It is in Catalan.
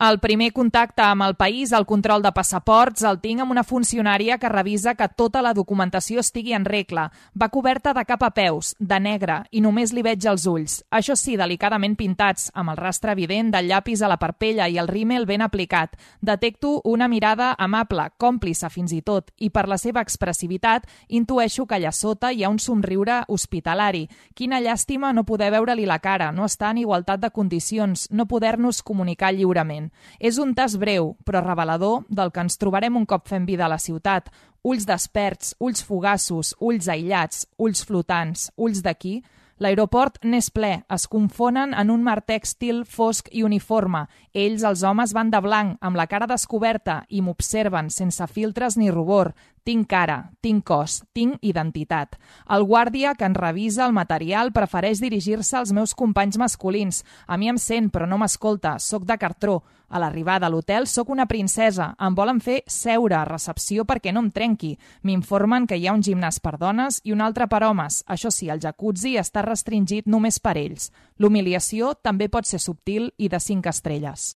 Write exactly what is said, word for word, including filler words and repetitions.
El primer contacte amb el país, el control de passaports, el tinc amb una funcionària que revisa que tota la documentació estigui en regla. Va coberta de cap a peus, de negre, i només li veig els ulls. Això sí, delicadament pintats, amb el rastre evident del llapis a la parpella i el rímel ben aplicat. Detecto una mirada amable, còmplice fins i tot, i per la seva expressivitat intueixo que allà sota hi ha un somriure hospitalari. Quina llàstima no poder veure-li la cara, no estar en igualtat de condicions, no poder-nos comunicar lliurement. És un tast breu, però revelador del que ens trobarem un cop fem vida a la ciutat. Ulls desperts, ulls fugassos, ulls aïllats, ulls flotants, ulls d'aquí. L'aeroport n'és ple, es confonen en un mar tèxtil fosc i uniforme. Ells, els homes, van de blanc, amb la cara descoberta, i m'observen sense filtres ni rubor. Tinc cara, tinc cos, tinc identitat. El guàrdia que en revisa el material prefereix dirigir-se als meus companys masculins. A mi em sent, però no m'escolta, soc de cartró. A l'arribada a l'hotel soc una princesa. Em volen fer seure a recepció perquè no em trenqui. M'informen que hi ha un gimnàs per dones i un altre per homes. Això sí, el jacuzzi està restringit només per ells. L'humiliació també pot ser subtil i de cinc estrelles.